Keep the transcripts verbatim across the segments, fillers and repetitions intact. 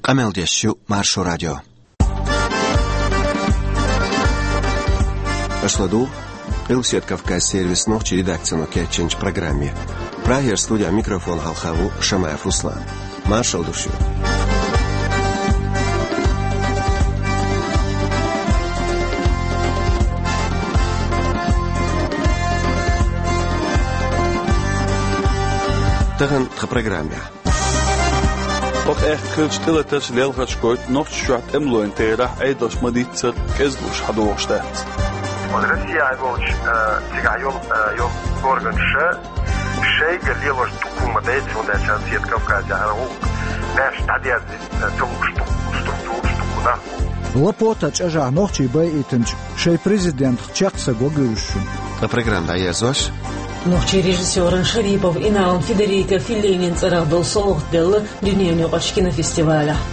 Къамел деш ю Маршо радио. Аша ладугӀу Къилбаседа Кавказан сервисан нохчийн редакцино кечйинчу программе. Прагера студехь микрофон хьалха ву Шамаев Руслан. Маршалла ду шуьга. Тахана тхан программехь. Оха аьхка хиллачу тӀелатарша лелхарш гойту Нохчийчохь тӀемалойн терахь Ӏедалш ма-дийццара кӀезиг лууш хьадогӀуш дац. Оцу Россехь волчу, э, цигахь йолу, э, йолу органаша шайга лелош дуккха хӀума ма дайта, хӀунда аьлча Седа Кавказехь хӀара гӀуллакх маьрша дӀадерзийта, э, ца лууш дуккха структураш, дуккха нах бу. Лапотан чӀожахь нохчий байийтинчу шайн президентах чекх са гогуьйлуш шуна. Ткъа программа дӀаерзош. Нохчийн режиссеран Шарипов Иналан Федерико Феллинин цӀарах долу совгӀат делла дуьненаюкъарчу кинофестивалехь.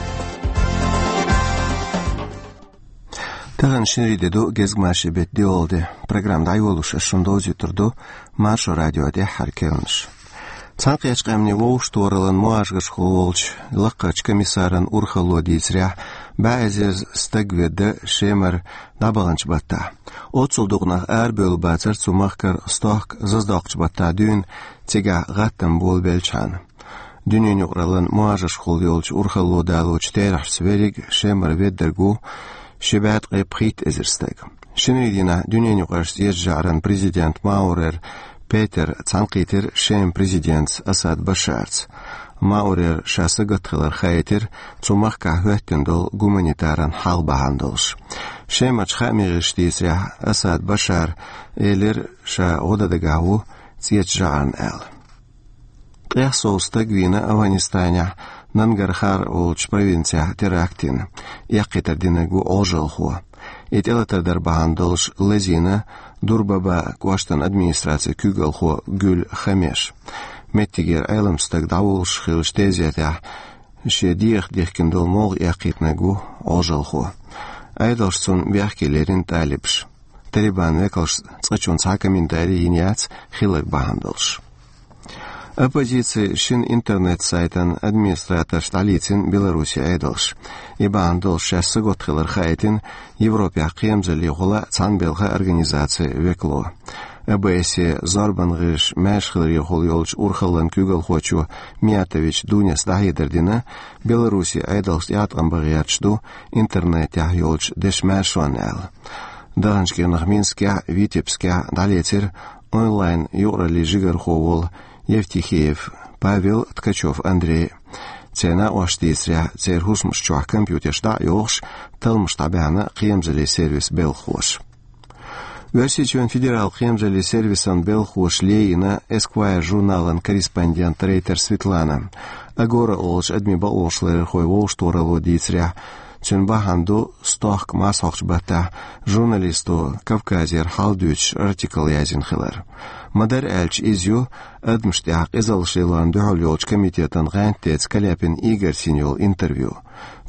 Тахана шинарин де ду, гезгмашин беттан доьалгӀа де. Программа дӀайолош ас шуна довзуьйтур ду Маршо радион тӀаьххьара керланаш. Цхьаьнакхеттачу къаьмнийн вовшахтохараллан муӀажгаршкахула волчу лакхарчу комиссаран урхалло дийцарехь, бӀе эзар стаг ведда Шемара дӀабаханчу баттахь. Оццул дукха нах арабевлла бацара цу махкара стохка зазадоккхучу баттахь дуьйна, цигахь гӀаттам болабелчхьана. Дуьненаюкъараллан муӀажгаршкахула йолчу урхалло далочу терахьашца верриг Шемара веддарг ву ши бӀе ткъе пхийтта эзар стаг. Шинарин дийнахь дуьненаюкъарчу цӀечу жӀаран президент Маурер Петера цхьаьнакхийтира Шеман президентца Асад Башарца. Маурера ша сагатта хилар хаийтира цу махкахь хӀоьттина долу гуманитаран хьал бахьана долуш. Шемарчу хаамийн гӀирсаша дийцарехь, Асад Башара элира, ша гӀо дан дагахь ву цӀечу жӀарна аьлла. Ткъех сов стаг вийна Афганистанехь Нангархар волчу провинцехь теракт йина, эккхийтар динарг ву Ӏожалхо. И тӀелатар дар бахьана долуш лазийна Дурбаба кӀоштан администрацин куьйгалхо Гуьл Хамеш. Меттигера Ӏеламстаг дӀавуллуш хиллачу тезетехь шен дегӀах дихкина долу могӀа эккхийтинарг ву Ӏожалхо. Ӏедалша цунна бехке лерина талибаша. Талибан векалша цкъачунна цхьа а комментарий йина яц хилларг бахьана долуш. Оппозицин шина интернет-сайтан администраторш дӀалийцина Беларусин Ӏедалша. И бахьана долуш шаьш сагатта хилар хаийтина Европехь кхерамзаллехула цхьаьнабелхан организацин векало. ОБСЕ зорбан гӀирсаша маьршахиларехула йолчу урхаллан куьйгалхочо Миятович Дунес дӀахьедар дина, Беларусин Ӏедалша тӀеӀаткъам бан гӀерташ ду интернетехь йолчу дешан маьршонна аьлла. Даханчу кӀирнах Минскехь а, Витебскехь а дӀалецира онлайн-юкъараллин жигархо волу Евтихеев Павел, Ткачев Андрей. Церан накъосташа дийцарехь, церан хӀусамаш чохь компьютерш дӀа а йохуш, талламаш дӀабаьхьна кхерамзаллин сервисан белхахоша. Оьрсийчоьнан федералан кхерамзаллин сервисан белхахоша лайна Esquire журналан корреспондент Рейтер Светлана. Агора олучу адамийн бакъонаш ларъярхойн вовшахтохаралло дийцарехь, цуьнан бахьана ду стохка мацхьокхучу баттахь журналисто Кавказера хьал дуьйцуш артикл язйина хилар. Ма-дарра аьлча, иза ю адамашна тӀехь къизаллаш лелорна дуьхьал йолчу комитетан гӀантдеца Каляпин Игорца йина йолу интервью.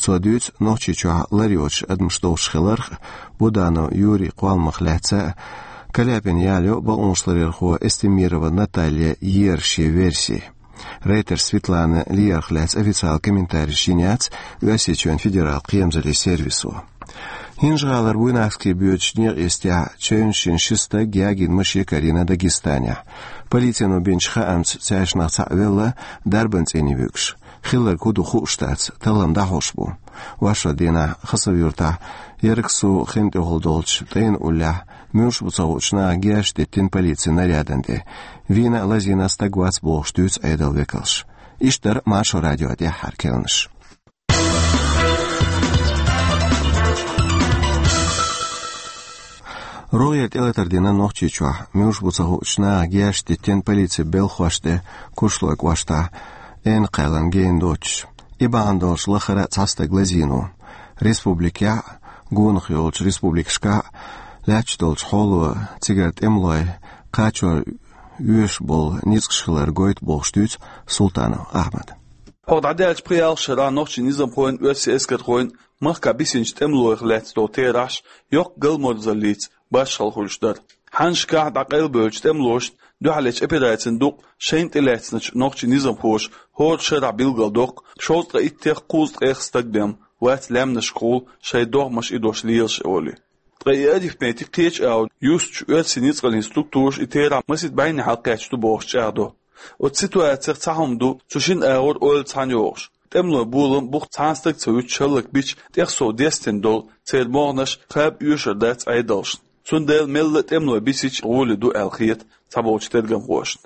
Цо дуьйцу Нохчийчохь лар йоцуш адамаш долуш хиларх, Буданов Юрин кхолламах лаьцна а, Каляпина ял йо бакъонаш ларъярхо Эстемирова Наталья еран шен верси. Рейтер Светлана лаьцнарх официалан комментарийш йина яц Оьрсийчоьнан федералан кхерамзаллин сервисо. ХӀинжа-ГӀалара Буйнакский боьдучу некъа йистехь чевнаш йина ши стаг ягийна машен карийна Дагестанехь. Полицино бинчу хаамца цаьршинах цхьаъ велла дарбан цӀийне вуьгуш. Хилларг хӀун ду хууш дац, таллам дӀахьош бу. Вайшиннан дийнахь Хасав-Юртахь Ярагсу хин тӀехула долчу ТӀайна уллехь муьлш бу ца хуучу наха герз диттина полицин нарядана тӀе. Вийна а, лазийна а стаг вац бохуш дуьйцу Ӏедалан векалша. Иштта дара Маршо радион тӀаьххьара керланаш. РогӀера тӀелатар дина Нохчийчохь, муьлш бу ца хуучу наха герз диттина полицин белхахошна тӀе Куршлойн кӀоштахь, Эна кхаьллан гена доцуш. И бахьана долуш лахара а цхьа стаг лазийна ву. Республикехь а, гонах йолчу республикашкахь а лаьтташ долчу хьоло цигара тӀемалой кхачор оьшуш болу ницкъаш хилар гойту бохуш дуьйцу Султанов Ахьмада. ХӀокху дӀадаьллачу пхи-ялх шарахь нохчийн низамхойн а, оьрсийн эскархойн а махкахь бисинчу тӀемалойх лаьцна долу терахьаш йоккха галморзаллица баршхалла хуьлуш дара. Хьаннашкахь дӀакъайлабевллачу тӀемалошна Дуьхьалечу операцина дукъ шайна тӀелаьцначу нохчийн низамхоша хӀора шарахь билгалдоккху шовзткъе иттех кхузткъех стаг бен, вац лаьмнашкахула шайн догӀмаш идош лелаш олий. Ткъа и арифметик кхечу агӀор юстучу оьрсийн ницкъаллин структураша и терахь масийтта бӀеннахьа кхаьчна ду бохуш чӀагӀдо. Оцу ситуацех цхьа хӀума ду цу шина агӀор ойла цхьаьна йогӀуш. ТӀемалойн болам бух цхьана стаг ца вуьтуш хӀаллакбича, тӀех сов дестина долу церан могӀанаш кхаба оьшур дац Ӏедалшна. Цундела мелла а тӀемалой бисича гӀоли ду аьлла хета цхьаболчу тергамхошна.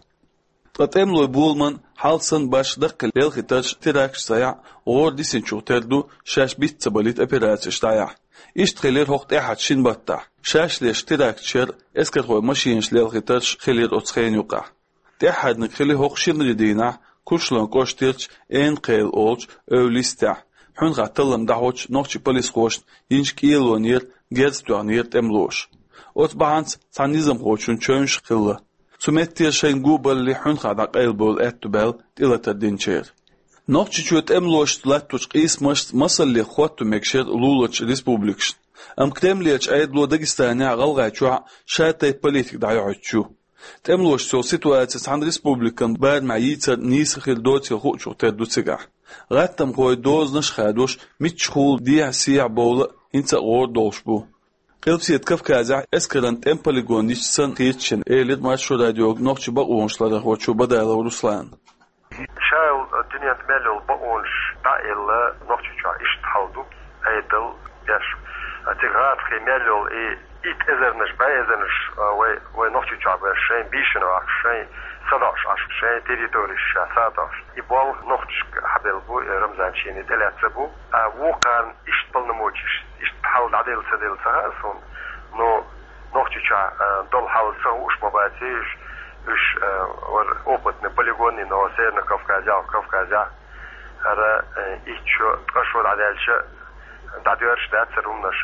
Ткъа тӀемалойн боламан хьал санна башха даккхий лелхийтарш, теракташ ца яхь, гӀора дисинчух тера ду шаьш биц ца балийта операцеш дӀаяхь. Иштта хилира хӀокху тӀаьххьарчу шина баттахь. Шаьш леш теракташ яра, эскархойн машинаш лелхийтарш хилира оцу хенан юкъахь. ТӀаьххьарниг хили хӀокху шинарин дийнахь Курчалойн кӀоштарчу Энакхел олучу эвла йистехь, хьуьнхахь таллам дӀахьочу нохчийн полисхошна йинчу кӀелонера герз тоьхнера тӀемалоша. Оцу бахьанца цхьана низамхочун чевнаш хилла. Цу меттера шайна го балале хьуьнхахь дӀакъайлабевлла аьтто баьлла тӀелатар динчеран. Нохчийчоь тӀемалошца латточу къийсамашца масаллех хӀотто мегаш яра луларчу республикашна. Амма Кремлерчу Ӏедало Дагестанехь а, ГӀалгӀайчохь а шатайпа политика дӀайохьуьйтуш ю. ТӀемалошца йолу ситуаци цхьана республикан барамехь йийцар нийса хир доцийла хуучух тера ду цигахь. ГӀаттамхой дозанаш а хадош, миччахула дехьа-сехьа бовла а хӀинца а гӀора долуш бу. Къилбаседа Кавказехь эскаран тӀеман полигон йича санна хеташ ю, элира Маршо радиога нохчийн бакъонаш ларархочо Бадалов Руслана. Ша йолу дуьненна мел йолу бакъонаш дӀа а елла, Нохчийчохь иштта хьал ду, Ӏедал беш. Цига гӀазкхийн мел йолу и итт эзарнаш, бӀе эзарнаш, а, вай, вай Нохчийчохь беш, шайн бийшина вахаш, шайн садоӀуш Ӏаш, шайн территореш ша садоӀуш. И болх нохчашка хьабелла бу, э, Рамзан шена тӀелаьцна бу. А вукхарна иштта полномочеш, иштта хьал дӀаделла ца делла ца хаьа суна, но Нохчийчохь, а, долу хьал ца хууш ма баций уьш, уьш, а, вара опытный полигонный, но Северный Кавказехь, Кавказехь, хӀара, э, итт шо, ткъа шо дӀадаьлча, дӀадоьрзуш дац хӀара хӀуманаш.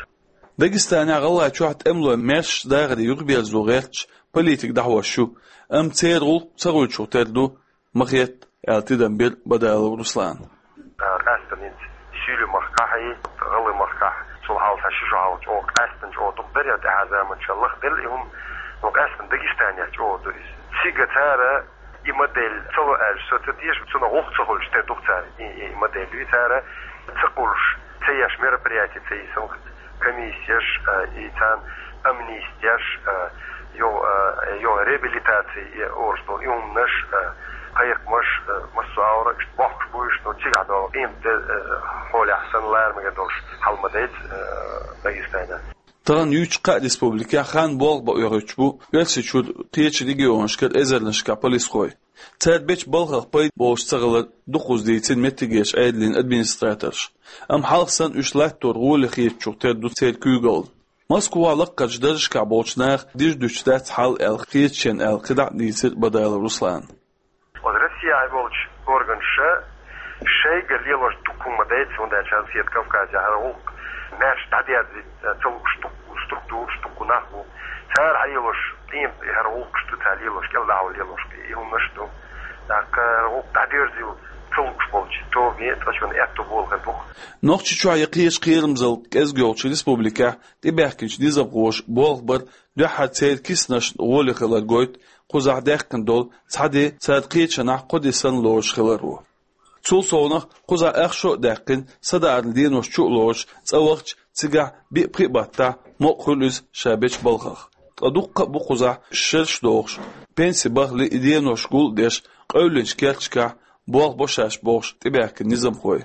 Дагестанехь а, ГӀалгӀайчохь а тӀемалой маьршачу дахаре юхаберзо гӀерташ политика дӀахьош ю, амма церан гӀуллакх ца хуьлучух тера ду, ма хета, аьлла тидам бира Бадалов Руслана. Къаьсттина хӀинца Суьйлийн махкахь а, ГӀалгӀайн махкахь а, цул хьалха ши шо хьалха чӀогӀа къаьсттина, чӀогӀа дукха дара, тӀаьхьа заманчохь лаха делла и хӀума, но къаьсттина Дагестанехь чӀогӀа ду иза. Цига цара и модель ца ло аьлча, со ца теша, цунах гӀуллакх ца хуьлуш тера ду-кх цара и, и модель. И цара ца кхуллуш, ца еш мероприяти ца йисна-кх, комиссеш, а, и царна амнистеш, а, йо, а, йо реабилитаци, и орус долу и хӀуманаш, а, кхайкхамаш, а, массо а агӀор иштта бохкуш бу уьш, но цигахь долу къематде, а, хьолехь санна лара мегар долуш хьал ма дайца, а, Дагестанехь. Тахана юьйцучу кхаа республикехь хан болх бан оьхуьйтуш бу Оьрсийчуьра кхечу регионашкара эзарнашкахь полисхой. Цара бечу балхах пайда болуш ца хилар дукхаза дийцина меттигерчу Ӏедалан администраторша. Амма хьалха санна уьш латтор гӀоле хетачух тера ду церан куьйгалла. Москвахь лаккхарчу даржашкахь болчу наха дижа дуьтуш дац хьал аьлла хета шена аьлла кхидӀа а дийцира Бадалов Руслана. Оцу Россехь болчу органаша шайга лелош дукха хӀума ма дайца, хӀунда аьлча Къилбаседа Кавказехь хӀара гӀуллакх маьрша дӀадерзийта ца лууш дукха структураш, дукха нах бу. Цара хьалелош къематде хӀара гӀуллакхаш ду цара лелош, кӀелдахьо лелош и хӀуманаш ду. ТӀаккха хӀара гӀуллакх дӀадерзийла ца лууш болчу томе цкъачунна аьтто болу хир бу-кх. Нохчийчохь я кхечу кхерамзалла кӀезиг йолчу республикехь тӀебаьхкинчу низамхоша болх бар дуьххьара церан киснашна гӀоле хилар гойту кхузахь даьккхина долу цхьа де цара кхечанхьа кхо де санна лоруш хиларо. Цул совнаха кхузахь ах шо а даьккхина, садаӀаран денош чу а лоруш, цӀа вахча цигахь биъ-пхиъ баттахь мукъа хуьлу иза ша бечу балхах. Ткъа дуккха а бу кхузахь шераш дохуш, пенси бахале и денош гул а деш, къевллинчу керташкахь болх бо шаьш бохуш тӀебаьхкина низамхой.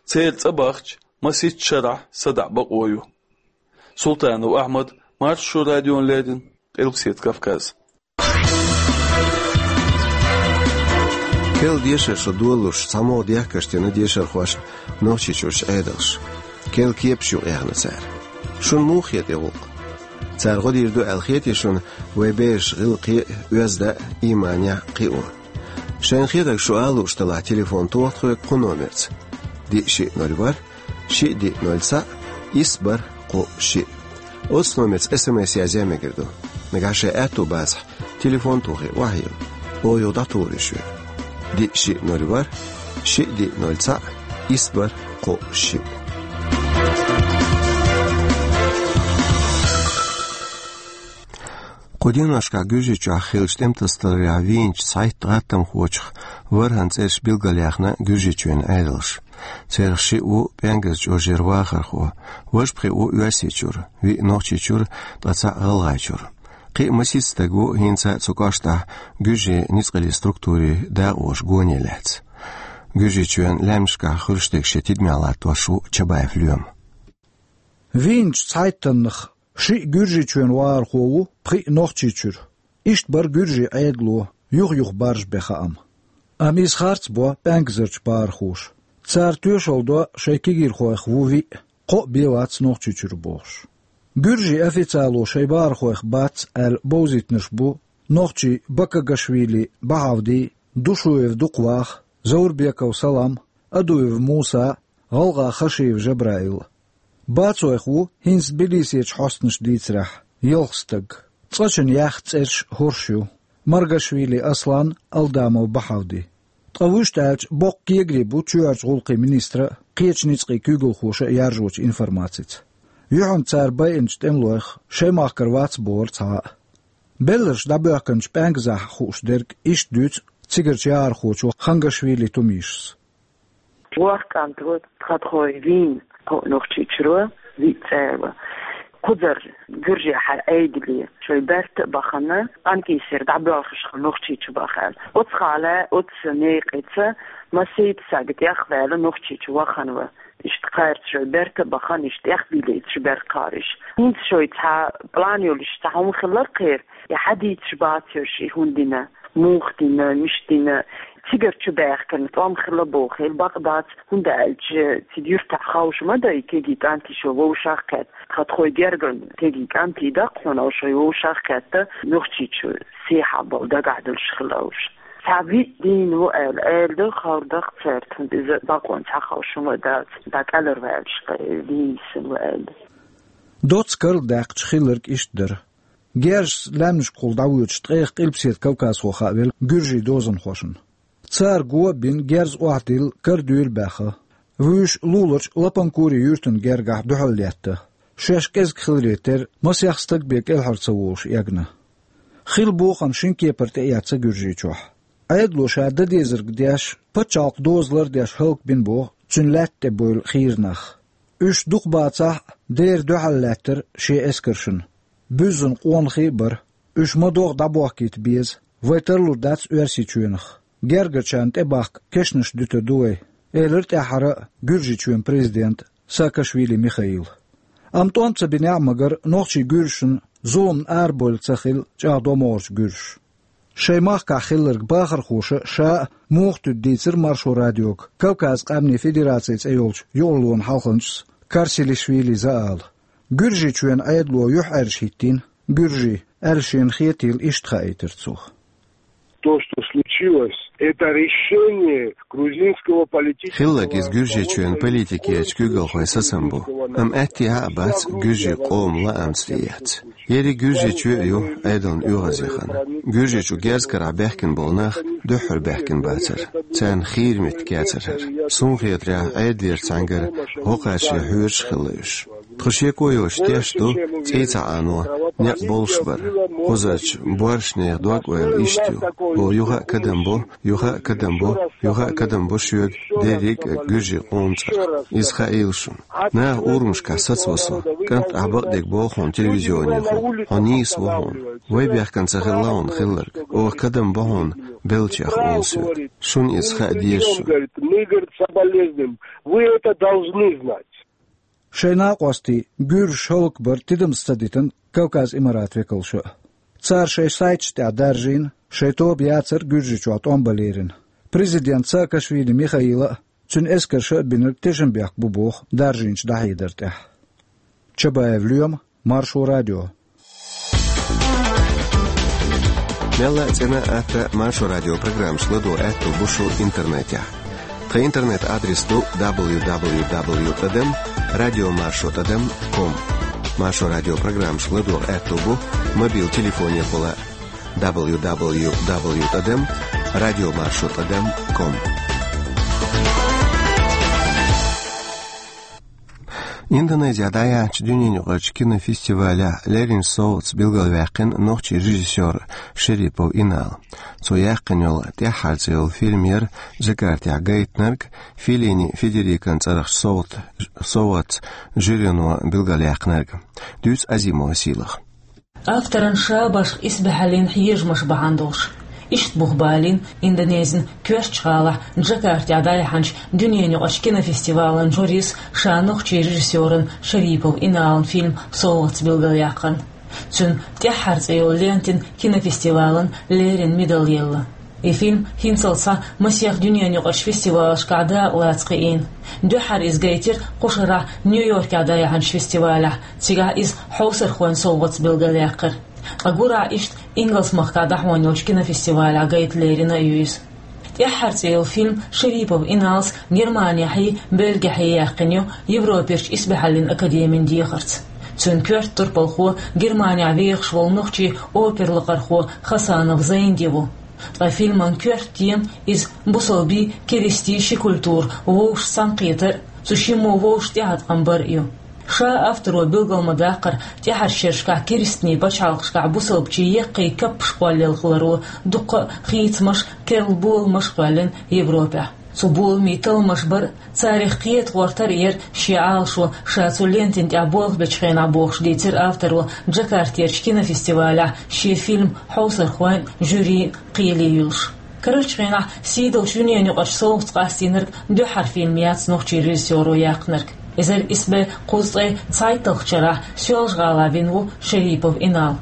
Церан цӀа бахча, масийтта шарахь садаӀа бакъо ю. Султанов Ахьмад, Маршо радиона леррина, Къилбаседа Кавказ. Кхел дешар шу долалуш, цхьамогӀа дехкаш дина дешархошна Нохчийчуьрчу Ӏедалша. Кхел кепаш юкъа яхна цара. Шуна муха хета и гӀуллакх? Цара гӀо дийр ду аьлла хетий шуна вайн бераш гӀиллакхе а, оьзда а, ийманехь а кхио? Шайна хетарг шу ала лууш делахь, телефон тоха тхоьга кху номерца: диъ шиъ ноль ворхӀ, шиъ диъ ноль цхьаъ, исс бархӀ кхоъ шиъ. Оцу номерца СМС язъян мегар ду. Нагахь шайн аьтто бацахь, телефон тохий охьайилла. Оха юха дӀатухур ю шуьга. Диъ шиъ ноль ворхӀ, шиъ диъ ноль цхьаъ, исс бархӀ кхоъ шиъ. Кху деношкахь Гуьржийчохь хиллачу тӀемтасадаларехь вийначу цхьайтта гӀаттамхочух ворхӀанна цӀераш билгалъяьхна Гуьржийчоьнан Ӏедалша. Царах шиъ ву ПӀаьнгаза чӀожера вахархо, важа пхиъ ву Оьрсийчуьра, виъ Нохчийчуьра, ткъа цхьаъ ГӀалгӀайчуьра. Кхин а масийтта стаг ву хӀинца а цу кӀоштахь гуьржийн ницкъаллин структурийн дакъоша гоне лаьцна. Гуьржийчоьнан лаьмнашкахь хуьлуш дерг шен тидамехь латтош ву Чабаев Лоьма. Вийначу цхьайттаннах шиъ Гуьржийчоьнан вахархо ву, пхиъ Нохчийчуьра. Иштта бара гуьржийн Ӏедало, юх-юха баржабен хаам. Амма иза харц бо пӀаьнгазарчу бахархоша. Цара тоьшалла до шайн кегийрхойх ву-виъ, кхоъ бен вац Нохчийчуьра бохуш. Гуьржийн официально шайн бахархойх бац аьлла бовзийтинарш бу нохчий Бакагашвили Бахьавди, Душуев Дукхвах, Заурбеков Салам, Адуев Муса, ГӀалгӀа Хашиев Жабраил. Бацойх ву, хӀинца Тбилисерчу хьостанаша дийцарехь, ялх стаг. Цкъачунна яьхна цӀераш хӀорш ю: Маргашвили Аслан, Алдамов Бахьавди. Ткъа вуьшта аьлча, боккха кегари бу чоьхьарчу гӀуллакхийн министра а, кхечу ницкъийн куьйгалхоша а яржочу информацица. Юьхьанца цара байинчу тӀемалойх шайн махкара вац бохура цхьа а. Белларш дӀабоьхкинчу пӀаьнгазахь хууш дерг иштта дуьйцу цигарчу яхархочо Хангашвили Тумишас. Воккха кӀант ву, тхан тхо вийна, кхоъ Нохчийчуьра, виъ цӀера. Кхузара гуьржехь Ӏедале шайн берта а бахана, къаьмнийн сий дӀабоьлхуш хилла Нохчийчу баха аьлла. Оцу хьале, оцу некъаца масийтта стаг тӀехваьлла Нохчийчу вахана ву. Иштта кхаьрца шайн берта а бахана, иштта тӀехбийлийташ бара кхариш. ХӀинца шайн цхьа план йолуш цхьа хӀума хилар кхера, и хьадийцаш бацарш, и хӀун дина, муха дина, мича дина, цигара чу баьхкина тӀом хилла боху, хила бакъ дац, хӀунда аьлча цига юьртахь ховш ма дай, кегий кӀант шо вовшах кхетта. Тхан тхо герган кегий кӀант даккха хьуна, шо вовшах кхетта, Нохчийчу сехьа болу дагахь долуш хилла уьш. Цхьа виъ дийна ву аьлла, аьлла ду, ховр даккха цаьрга, хӀунда иза бакъонца хьаховш хӀума дац, дӀакъаьлларваьллаш кхе дийна йисина ву аьлла. Доцца карладаьккхича хилларг иштта дара. Герзашца лаьмнашкахула дӀавоьдуш ткъех Къилбаседа Кавказхо хаавелла гуьржийн дозанхошна. Цара го а бина, герз охьадилла, кара дуьйла баьхна. Вуьйш луларчу Лапанкури юьртан гергахь дуьхьал летта. Шаьш кӀезиг хиларе терра, масех стаг бен кӀелхьара ца волуш эгна. Хилла бохам шина кепара тӀеэцна Гуьржийчохь. Ӏедало ша дан дезарг деш, пачхьалкхан доза лардеш хӀаллакбина боху цуьнан лаьтта тӀе бевлла хийра нах. Уьш дукха бацахь а, дера дуьхьал лаьттара шен эскаршна. Буьззина къонахий а бара. Уьш ма-доггӀа дӀабохкийта беза, вай тарлур дац Оьрсийчоьнах. Гергарчарна тӀебахка кешнаш дуьтур ду вай, элира тӀаьххьара а Гуьржийчоьнан президента Саакашвили Михаила. Амма тӀом ца бинехь а, магар нохчий гуьржашна зуламна арабевлла ца хилла чӀагӀдо могӀарчу гуьржаша. Шайн махкахь хилларг бахархоша ша а муха туьду дийцира Маршо радиога Кавказ къаьмнийн федераци цӀе йолчу юкъарлонан хьалханчас Карсилишвили Заала. Гуьржийчоьнан Ӏедало юьхьӀаьржа хӀиттийна гуьржий, аьлла шена хетийла иштта хаийтира цо. То, что случилось, это решение грузинского политического руководства. Хилларг иза Гуьржийчоьнан политикерчу куьйгалхойн сацам бу, амма аьттехьа а бац гуьржийн къоман лаамца тӀеэцна. Ерриг Гуьржийчоь а ю Ӏедална оьгӀазъяхана. Гуьржийчу герз карахь баьхкина болу нах дуьххьара баьхкина бацара. Царна хийра меттиг яцара хӀара. Суна хетарехь, Ӏедалера цхьаьнгара гӀо кхачаре хьоьжуш хилла уьш. Тхо шеко йоцуш тешна ду, цӀий ца Ӏано некъ болуш бара. Кхузарчу боршнехан дог-ойла иштта ю: хӀора юха а кадам бо, юха а кадам бо, юха а кадам бо шоьга дерриг а гуьржийн къоман цӀарах. Иза хаийла шуна. Наха урамашкахь сацаво со: «КӀант, ахь бакъдерг боху хьуна телевизионехула, хьо нийса ву хьуна. Вай бехкан ца хилла хьуна хилларг, оха кадам бо хьуна беллачех», — олу соьга. Шуна иза хаа деза шуна. Мы, говорит, соболезнуем. Вы это должны знать. Шайн накъостий гуьржаш хӀаллакбар тидамца ца дитина Кавказ Имарат векалша а. Цара шайн сайташ тӀехь даржийна, шайн тоба яцар Гуьржийчохь тӀом бан лерина. Президент Саакашвили Михаила а, цуьнан эскарша а бинарг тешнабехк бу боху даржийначу дӀахьедар тӀехь. Чабаев Лоьма, Маршо радио. Мелла а цӀена а, атта а Маршо радио программаш ладогӀа аьтто бу шун интернетехь. Тхан интернет-адрес ду: дабл ю дабл ю дабл ю тӀадам радио маршо тӀадам ком. Маршо радио программаш ладогӀа аьтто бу мобил телефонехула а: дабл ю дабл ю дабл ю тӀадам радио маршо тӀадам ком. Индонезехь дӀаяьхьначу дуьненаюкъарчу кинофестивалехь леррина совгӀатца билгалваьккхина нохчийн режиссёр Шарипов Инал. Цо яьккхина йолу «ТӀаьххьара» цӀе йолу фильм яра Джакартехь гайтинарг, Феллини Федерикон цӀарахчу совгӀат-, совгӀатца жюрино билгалъяьккхинарг. Дуьйцу Азимова Сийлаха. Авторан ша башха исбаьхьаллин хьежамаш бахьана долуш. Иштта бух балийна Индонезин коьртачу гӀалахь Джакартехь дӀаяьхьначу дуьненаюкъарчу кинофестивалан жюрис ша нохчийн режиссёран Шарипов Иналан фильм совгӀатца билгалъяьккхина. Цуьнан «ТӀаьххьара» цӀе йолу лентина кинофестивалан леррина медаль елла. И фильм хӀинццалц схьа масех дуьненаюкъарчу фестивалашкахь дакъалаца кхиийна. Дуьххьара иза гайтира кху шарахь Нью-Йоркехь дӀаяьхьначу фестивалехь, цигахь иза хьовсархойн совгӀатца билгалъяьккхира. Ткъа гурахь иштта Ингалс-махкахь дӀахьош йолчу кинофестивалехь гайта лерина а ю иза. «ТӀаьххьара» цӀе йолу фильм Шарипов Иналс Германехьий, Бельгехьий яьккхина ю Европерчу исбаьхьаллин академин дехарца. Цуьнан коьрта турпалхо Германехь вехаш волу нохчийн опера лакхархо Хасанов Зайнди ву. Ткъа фильман коьрта тема иза бусалбийн, керистийн ши культура вовшашца цхьаьнакхетар а, цу шиммо вовшашна тӀеӀаткъам бар а ю. Ша авторо билгал ма-даккхара, тӀаьхьарчу шерашкахь керстанийн пачхьалкхашкахь бусалбачийн яккхий каппаш кхоллаялахаларо дуккха а хийцамаш, керла боламаш а кхоьллина Европехь. Цу боламийн талламаш бар а, царах кхета гӀортар а яра шен Ӏалашо, ша цу лентина тӀехь болх бечу хенахь, бохуш дийцира авторо Джакартерчу кинофестивалехь шен фильм хьовсархойн а, жюрин а кхеле юьллуш. Карарчу хенахь сийдолчу дуьненаюкъарчу совгӀатца къастийнарг дуьххьара фильм яц нохчийн режиссёро яьккхинарг. Эзар исс бӀе кхузткъе цхьайтталгӀачу шарахь Соьлжа-ГӀалахь вина ву Шарипов Инал.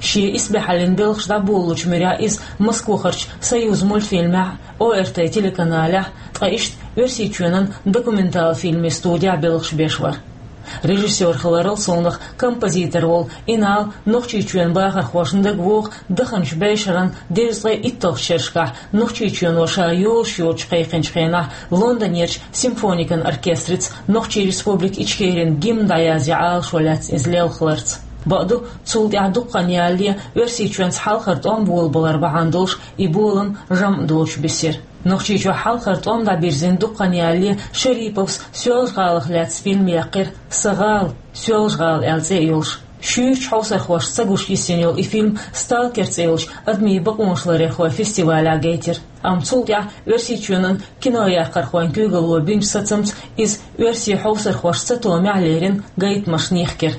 Шен исбаьхьаллин белхаш дӀаболалучу муьрехь иза Москвахарчу «Союзмультфильмехь», О Р Т телеканалехь, ткъа иштта Оьрсийчоьнан документал фильмийн студехь белхаш беш вара. Режиссёр хиларал совнах композитор волу Инал Нохчийчоьнан бахархошна дагавогӀу даханчу бӀешеран дезткъе итталгӀачу шерашкахь Нохчийчоьно ша йозуш йоцуш кхайкхинчу хенахь Лондонерчу симфоникан оркестрица Нохчийн Республика Ичкерин гимн дӀаязъян Ӏалашо лаьцна иза лелхаларца. Бакъду, цул тӀаьхьа дукха хан ялале Оьрсийчоьнца хьалхара тӀом болабалар бахьана долуш и болам жамӀ доцуш бисира. Нохчийчохь хьалхара тӀом дӀабирзина дукха хан ялале Шариповс Соьлжа-ГӀалах лаьцна фильм яьккхира, «Сан гӀала», «Соьлжа-ГӀала» аьлла цӀе а йолуш. Шуьйрачу хьовсархошца гуш йисина йолу и фильм «Сталкер» цӀе йолчу адамийн бакъонаш ларъярхойн фестивалехь гайтира. Амма цул тӀаьхьа Оьрсийчоьнан кинояккхархойн куьйгалло бинчу сацамца иза оьрсийн хьовсархошна сатомехь лерина гайтамашна йихкира.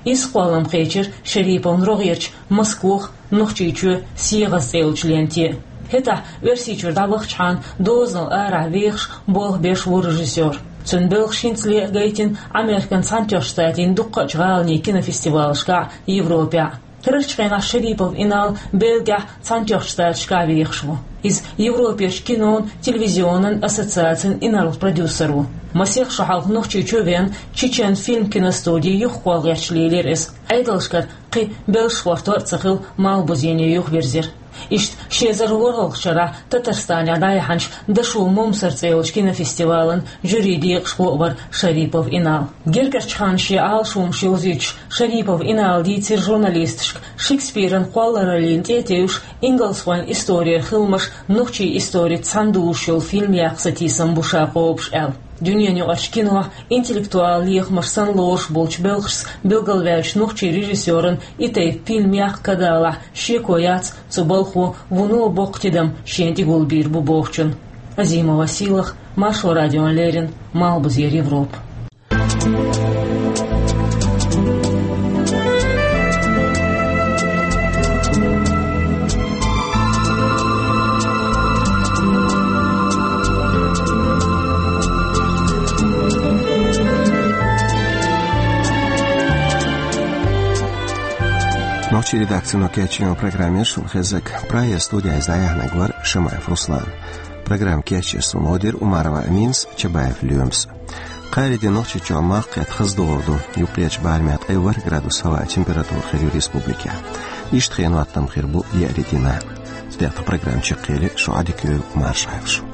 Иза кхоллам кхечира Шариповн рогӀерчу «Москвах», «Нохчийчоь», «СегӀаза» цӀе йолчу ленте. ХӀетахь Оьрсийчуьра дӀавахчахьана дозанал арахь вехаш, болх беш ву режиссёр. Цуьнан белхаш хӀинцале а гайтина Американ Цхьаьнатоьхначу Штатийн дуккхачу гӀаланийн кинофестивалашкахь, Европехь. Карарчу хенахь Шарипов Инал Бельгехь, Цхьаьнатоьхначу Штаташкахь вехаш ву. Иза Европерчу кинон, телевизионан ассоциацин инарла продюсер ву. Масех шо хьалха Нохчийчу а веана, Чечен фильм киностуди юхакхолла гӀерташ лелийра иза. Ӏедалшкара кхин белшаш гӀортор а ца хилла, Малхбузене юхавирзира. Иштта ши эзар ворхӀалгӀачу шарахь Татарстанехь дӀаяьхьначу «Дошув Момсар» цӀе йолчу кинофестивалан жюрин декъашхо а вара Шарипов Инал. Гергарчу ханна шен Ӏалашонаш йовзуьйтуш, Шарипов Инала дийцира журналисташка, Шекспиран кхоллараллина тӀе а тевжаш, ингалсхойн исторера хиламаш нохчийн историца цхьаьнадужуш йолу фильм яккха сатийсам бу ша кхобуш аьлла. Дуьненаюкъарчу кинохь интеллектуалан лехамаш санна лоруш болчу белхашца билгалваьллачу нохчийн режиссёрна и тайпа фильм яккха ка далахь, шеко яц цу балхо вуно боккха тидам шена тӀегулбийр бу бохучун. Азимова Сийлаха, Маршо радиона леррина, Малхбузера Европа. Нохчийн редакцино кечйина программа яра шуна хезнарг. Прагера студехь иза дӀаяьхьнарг вара Шамаев Руслан. Программа кечъеш суна гӀо дира Умарова Аминас, Чабаев Лоьмас. Кхаарин де Нохчийчохь малх кхетта хаза догӀур ду, юккъерчу барамехь ткъе ворхӀ градус хӀаваан температура хир ю республикехь. Иштта хенан хӀоттам хир бу еарин дийнахь. ТӀехь программа чекхъели, шу Ӏадика йойла, марша Ӏайла шу.